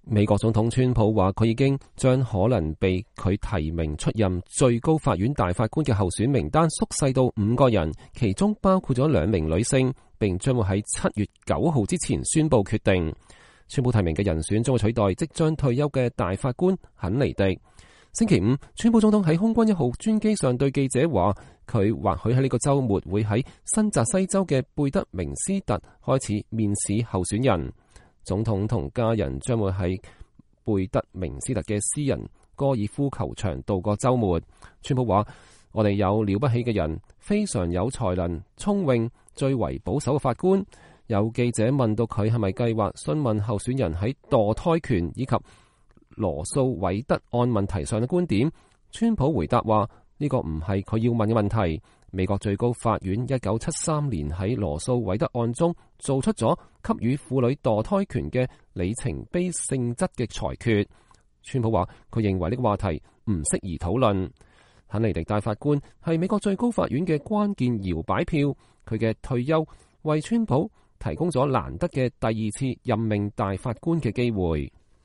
美國總統川普話佢已經將可能被佢提名出任最高法院大法官嘅候選名單縮細到5個人，其中包括咗2名女性，並將會喺7月9號之前宣布決定。川普提名嘅人選將會取代即將退休嘅大法官肯尼迪。星期五，川普總統喺空軍1號專機上對記者話，佢或許喺呢個週末會喺新澤西州嘅貝德明斯特開始面試候選人。總統同家人將會喺貝德明斯特嘅私人高爾夫球場度過週末。川普話：我哋有了不起嘅人，非常有才能、聰穎、最為保守嘅法官。有記者問到佢係咪計劃詢問候選人喺墮胎權以及羅素韋德案問題上嘅觀點，川普回答話：呢個唔係佢要問嘅問題。美國最高法院1973年喺羅素韋德案中做出咗給予婦女墮胎權嘅里程碑性質嘅裁決。川普話佢認為呢個話題唔適宜討論。肯尼迪大法官係美國最高法院嘅關鍵搖擺票，佢嘅退休為川普提供咗難得嘅第2次任命大法官嘅機會。